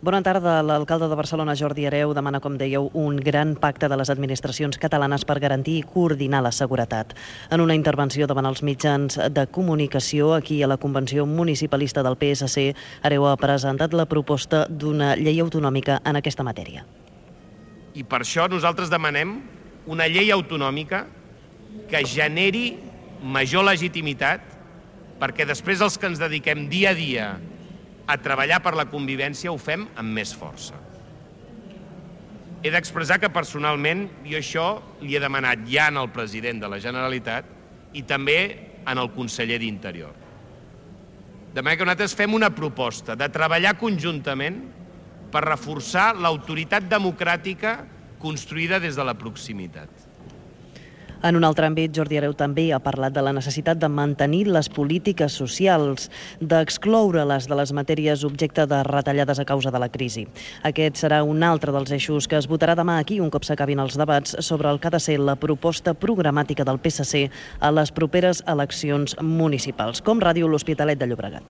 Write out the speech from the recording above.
Bona tarda. L'alcalde de Barcelona, Jordi Hereu, demana, com dèieu, un gran pacte de les administracions catalanes per garantir i coordinar la seguretat. En una intervenció davant els mitjans de comunicació aquí a la Convenció Municipalista del PSC, Hereu ha presentat la proposta d'una llei autonòmica en aquesta matèria. I per això nosaltres demanem una llei autonòmica que generi major legitimitat perquè després els que ens dediquem dia a dia a treballar per la convivència ho fem amb més força. He d'expressar que personalment jo això li he demanat ja al president de la Generalitat i també al conseller d'Interior. De manera que nosaltres fem una proposta de treballar conjuntament per reforçar l'autoritat democràtica construïda des de la proximitat. En un altre àmbit, Jordi Hereu també ha parlat de la necessitat de mantenir les polítiques socials, d'excloure-les de les matèries objecte de retallades a causa de la crisi. Aquest serà un altre dels eixos que es votarà demà aquí, un cop s'acabin els debats sobre el que ha de ser la proposta programàtica del PSC a les properes eleccions municipals. Com Ràdio, l'Hospitalet de Llobregat.